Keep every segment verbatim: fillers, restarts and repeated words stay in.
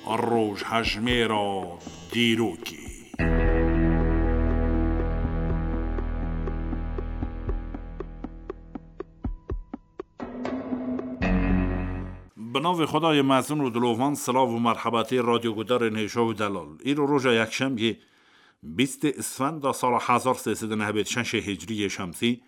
Rojhejmêra dîrokê. Bi navê Xwedayê mezin û dilovan, silav û merhebetê radyogudarên hêja û delal. Îro roja yekşemiyê, bîstê Isfenda sala hezar sê sed û nehwêd şeşê Hicriyê Şemsî,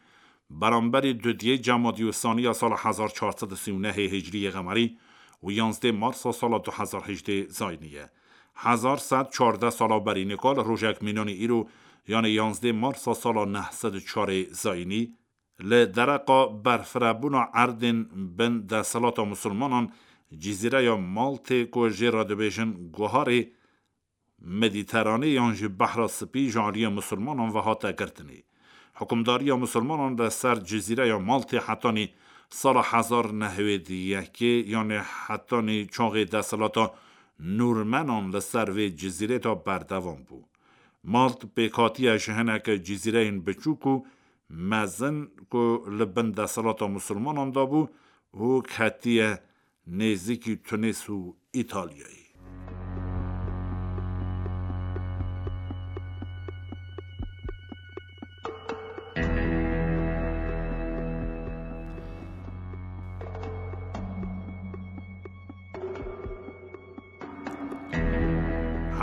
beramberî dudiyê Cemadî û Saniya sala hezar çar sed û sî û nehê Hicriyê Qemerî û yanzdê Marsa sala du hezar hejdê Zayînî ye. Hezar sed çardeh sala berî nika li rojek mînanî îro, yanê yanzdê Marsa sala neh sed û çarê Zayînî, li dereqa berfirebûna erdên bin desthilata Musulmanan, Cizîreya Maltê ku jê re dibêjin Guharê Medîteranê yan jî Behra Spî ji aliyê Musulmanan ve hate girtinê. Hukimdariya Musulmanan li ser Cizîreya Maltê hetanî sala hezar nehwêd yekê, yanê hetanî çaxê desthilata Nûrmenan li ser vê cizîrê de berdewam bû. Malt pêk hatiye ji hineke cizîreyên biçûk û mezin ku li bin desthilata Musulmanan de bû û ketiye nêzîkî Tunîs û Îtalyayê.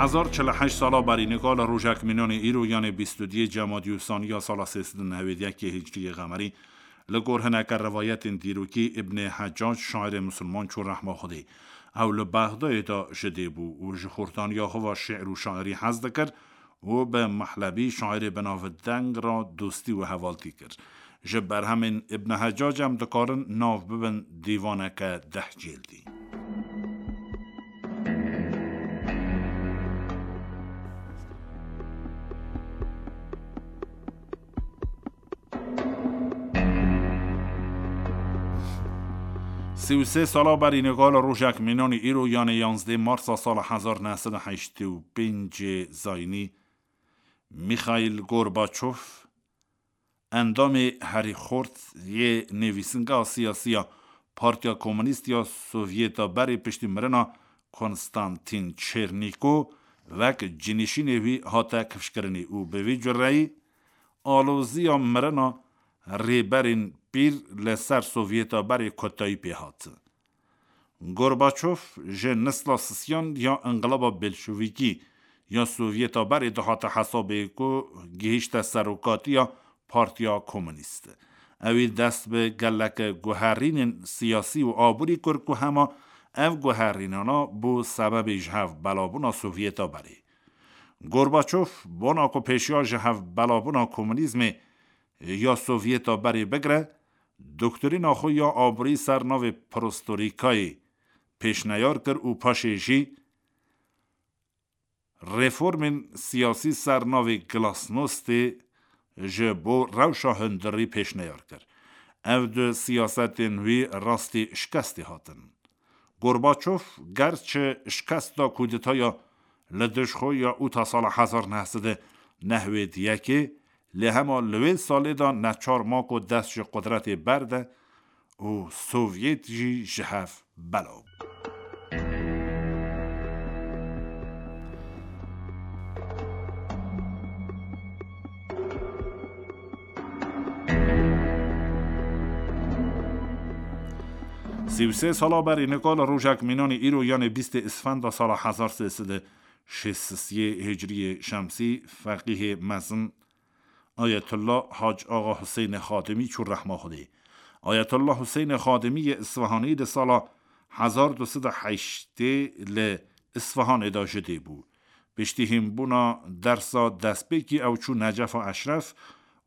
Hezar çil û heşt sala berî nika li rojek mînanê îro, yanê bîst û duyê Cemadî û Saniya sala sê sed û nehwêd yekê Hicriyê Qemerî, li gor hineke rivayetên dîrokî Îbnê Hecac, şairê misilman, çû rehma Xwedê. Ew li Bexdayê de ji dê bû û ji xurtaniya xwe ve şi'r û şairî hez dikir û bi Mehlebî, şairê binavdeng, re dostî û hevaltî kir. Ji berhemên Îbn Hecac em dikarin nav bibin dîvaneke deh cildî. Sî û sê sala berî nika li rojek mînanî îro, yanê yanzdê Marsa sala hezar neh sed û heştê û pêncê Zayînî, Mîxaîl Gorbaçov, endamê herî xurt yê nivîsingeha siyasî ya Partiya Komûnîst ya Sovyeta berê, piştî mirina Konstantîn Çernîko, wek cinîşînê wî hate kifşkirinê û bi vî cureyî aloziya mirina rêberên pîr li ser Sovyeta berê kotayî pê hat. Gorbaçov ji nisla sisiyan ya Înqilaba Bolşevîkî ya Sovyeta berê dihate hesabê ku gihîşte serokatiya Partiya Komûnîst. Ewî dest bi gelek guherînên siyasî û aborî kir ku hema ev guherînana bû sebebê ji hev belabûna Sovyeta berê. Gorbaçov bona ku pêşiya ji hev belabûna komûnîzmê ya Sovyeta berê bigire, doktrîna xwe ya aborî ser navê Perestroîkayê pêşneyar kir û paşê jî reformên siyasî ser navê Glasnostê ji bo rewşa hundirî pêşneyar kir. Ev du siyasetên wî rastî şikestê hatin. Gorbaçov gerçi şikest da kûdetaya li dij xwe ya ûta sala hezar neh sed û nehwêd yekê, lê hema li wê salê de neçar ma ku dest ji qudretê berde û Sovyet jî ji hev belav bû. Sî û sê sala berî nika li rojek mînanî îro, yanê bîstê Isfenda sala hezar sê sed û şêst û sê Hicriyê Şemsî, feqîhê mezin Ayetullah Hac Axa Huseynê Xatimî çû rehma Xwedê. Ayetullah Huseynê Xatimî yê Isfahanî di sala hezar du sed û heştê li Isfahanê de ji dê bû. Piştî hînbûna dersa destpêkî ew çû Necefa Eşref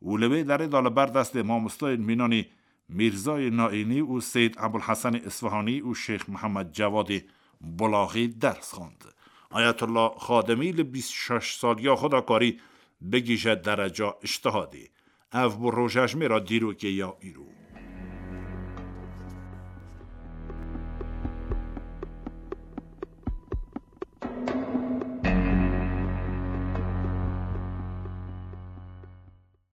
û li wê derê de li ber destê mamostayên mînanî Mîrzayê Naînî û Seyd Ebulhesenê Isfahanî û Şêx Mihemed Cevadê Bulaxî ders xwend. Ayetullah Xadimî li bîst û şeş saliya xwe de karî bigihîje dereca îctihadê. Ev bû rojejmêra dîrokê ya îro.